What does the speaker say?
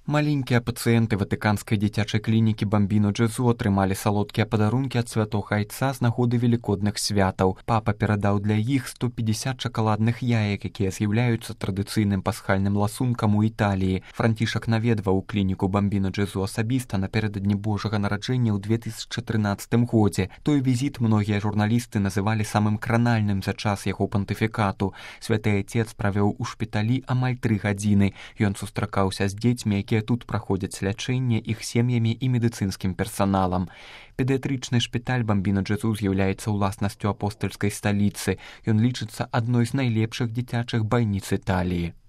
Маленькія пацыенты ватыканскай дзіцячай клінікі Бамбіно Джезу атрымалі салодкія падарункі ад святога айца з нагоды велікодных святаў. Папа перадаў для іх 150 шакаладных яек, якія з'яўляюцца традыцыйным пасхальным ласункам у Італіі. Францішак наведваў клініку Бамбіно Джезу асабіста напярэдадні Божага нараджэння ў 2013 годзе. Той візіт многія журналісты называлі самым кранальным за час яго пантыфікату. Святы айцец правёў у шпіталі амаль 3 гадзіны. Ён сустракаўся з дзецьмі, якія тут праходзяць лячэнне, іх сем'ямі і медыцынскім персаналам. Педыятрычны шпіталь Бамбіно Джезу з'яўляецца ўласнасцю апостальскай сталіцы. Ён лічыцца адной з найлепшых дзіцячых бальніц Італіі.